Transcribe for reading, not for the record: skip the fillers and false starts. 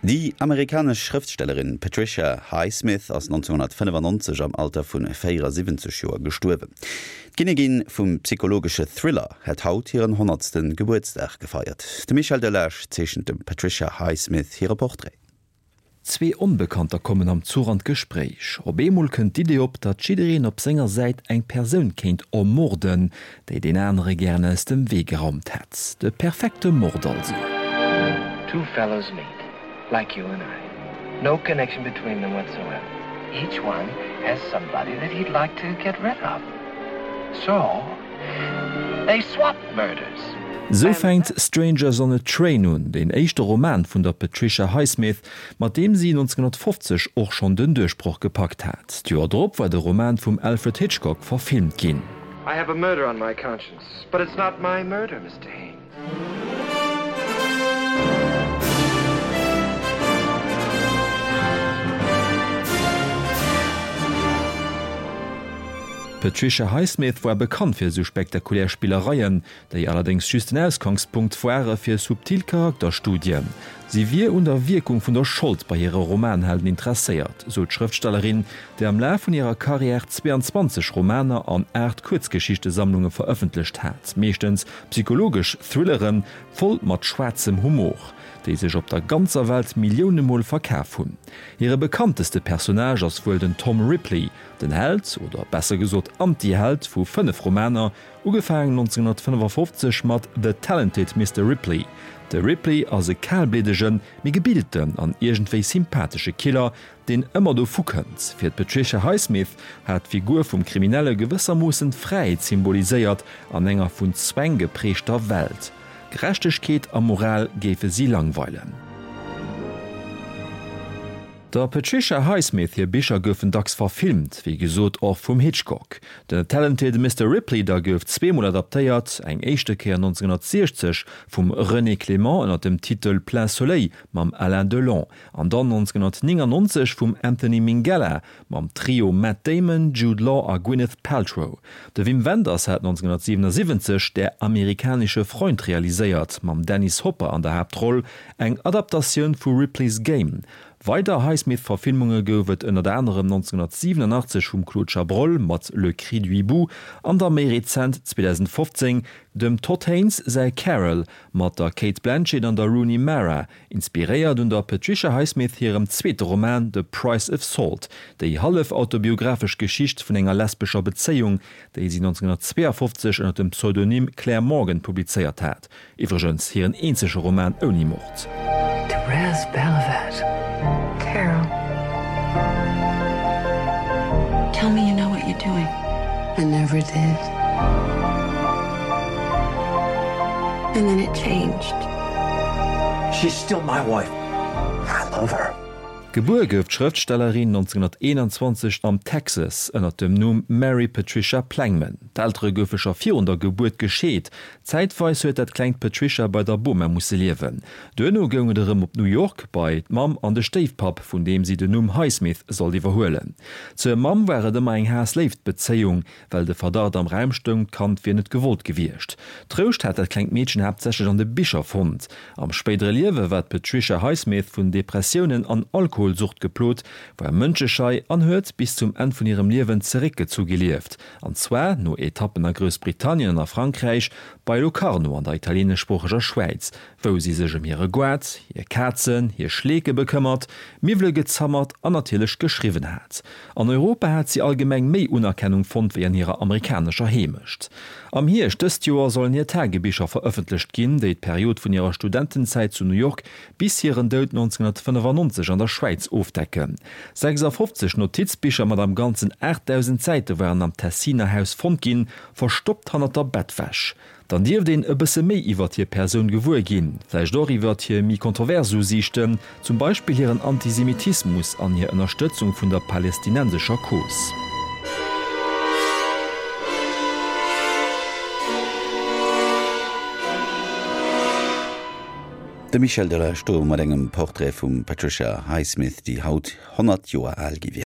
Déi amerikanesch Schrëftstellerin Patricia Highsmith ass 1995 am Alter vu 74 Joer gestuerwen. D'Kinnigin vum psychologesche Thriller hätt haut hiren honnertste Gebuertsdag gefeiert. De Michel Delage zeechent dem Patricia Highsmith hire Portrait. Zwee Onbekannter kommen am Zuch an d'Gespréich. Op eemol kënnt d'Idee op, datt jiddereen op senger Säit eng Persoun kéint ermorden, déi deen anere gären aus dem Wee geraumt hätt. De perfekte Mord also. Two fellows meet, like you and I. No connection between them whatsoever. Each one has somebody that he'd like to get rid of. So, they swap murders. Sou fänkt Strangers on a Train un, deen éischte Roman vun der Patricia Highsmith, mat deem si 1950 och schonn den Duerchbroch gepackt hat. D'Joer drop war de Roman vum Alfred Hitchcock verfilmt ginn. I have a murder on my conscience, but it's not my murder, Mister Haines. D'Patricia Highsmith war bekannt fir esou spektakulär Spillereien, déi allerdéngs just den Ausgangspunkt ware fir subtil Charakterstudien. Si wier un der Wierkung vun der Schold bei hire Romanhelden interesséiert, sou d'Schrëftstellerin, déi am Laf vun hirer Karriär 22 Romaner an 8 Kuerzgeschichtesammlunge verëffentlecht hat, meeschtens psychologesch Thrillere voll mat schwaarzem Humor, déi sech op der ganzer Welt Millioune Mol verkaf hunn. Hire bekannteste Personnage ass wuel den Tom Ripley, den Held, oder besser gesot Anti-Held vu 5 Romaner, Ugefaangen 1955 mat The Talented Mister Ripley. De Ripley ass e kalbliddegen, mee gebilten an iergendwéi sympathesche Killer, deen ëmmer dovu kënnt. Fir d'Patricia Highsmith hat d'Figur vum Kriminelle gewëssermoossen d'Fräiheet symboliséiert an enger vun Zwäng geprägter Welt. Gerechtegkeet a Moral géife si langweilen. Der Patricia Highsmith hir Bicher goufen dacks verfilmt, wéi gesot och vum Hitchcock. The Talented Mister Ripley da gouf zweemol adaptéiert, eng éischte Kéier 1960 vum René Clément ënner dem Titel Plein Soleil mam Alain Delon an dann 1999 vum Anthony Minghella mam Trio Matt Damon, Jude Law a Gwyneth Paltrow. De Wim Wenders hat 1977 Der amerikanische Freund realiséiert mam Dennis Hopper an der Haaptroll, eng Adaptatioun vu Ripley's Game. Weider Highsmith-Verfilmunge gouf et ënnert anerem 1987 vum Claude Chabrol mat Le Cri du hibou an da méi rezent 2015 dem Todd Haynes säi Carol mat der Cate Blanchett an der Rooney Mara, inspiréiert un der Patricia Highsmith hirem zweete Roman The Price of Salt, déi hallef autobiographesch Geschicht vun enger lesbescher Bezéiung, déi si 1952 ënner dem Pseudonym Claire Morgan publizéiert hat. Iwwregens hiren eenzege Roman ouni Mord. Therese Belivet. Carol. Tell me you know what you're doing. I never did. And then it changed. She's still my wife. I love her. Gebuer gouf d'Schrëftstellerin 1921 am Texas ënner dem Numm Mary Patricia Plangman. D'Eltere goufe scho virun der Gebuert gescheet. Zäitweis huet dat klengt Patricia bei der Boma musse liewen. Duerno goung et erëm op New York bei d'Mamm an de Stéifpapp, vun deem si den Numm Highsmith sollt iwwerhuelen. Zur Mamm war et ëmmer eng Haass-Léift-Bezéiung, Well de Verdacht am Raum stoung, d'Kand wier net gewollt gewiescht. Trouscht hat dat klengt Meedchen haaptsächlech an de Bicher fonnt. Am spéidere Liewe war d'Patricia Highsmith vun Depressiounen an Alkoholsucht geplot, war mënscheschei an huet bis zum Enn vun hirem Liewen zeréckgezu gelieft, an zwar, no Etappen a Groussbritannien an a Frankräich, bei Locarno an der italieeneschsproocheger Schwäiz, wou si sech ëm hire Goart, hir Kazen, hir Schleeke bekëmmert, Miwwele gezammert an natierlech geschriwwen hat. An Europa hat si allgemeng méi Unerkennung fonnt wéi an hirer amerikanescher Heemecht. Am Hierscht dëst Joer sollen hir Tagebicher verëffentlecht ginn, déi d'Period vun hirer Studentenzäit zu New York bis hiren Doud 1995 an der Schwäiz ofdecken. 56 Notizbicher mat am Ganzen 8.000 Säite waren am Tessiner Haus fonnt ginn, verstoppt hannert der Bettwäsch. Dann dierft een e bësse méi iwwert hir Persoun gewuer ginn, vläicht och iwwert hir méi kontrovers Usiichten, zum Beispill hiren Antisemitismus an hir Ënnerstëtzung vun der palestinensescher Cause. De Michel Delage do mat engem Portrait vum Patricia Highsmith, déi haut 100 Joer al gi wier.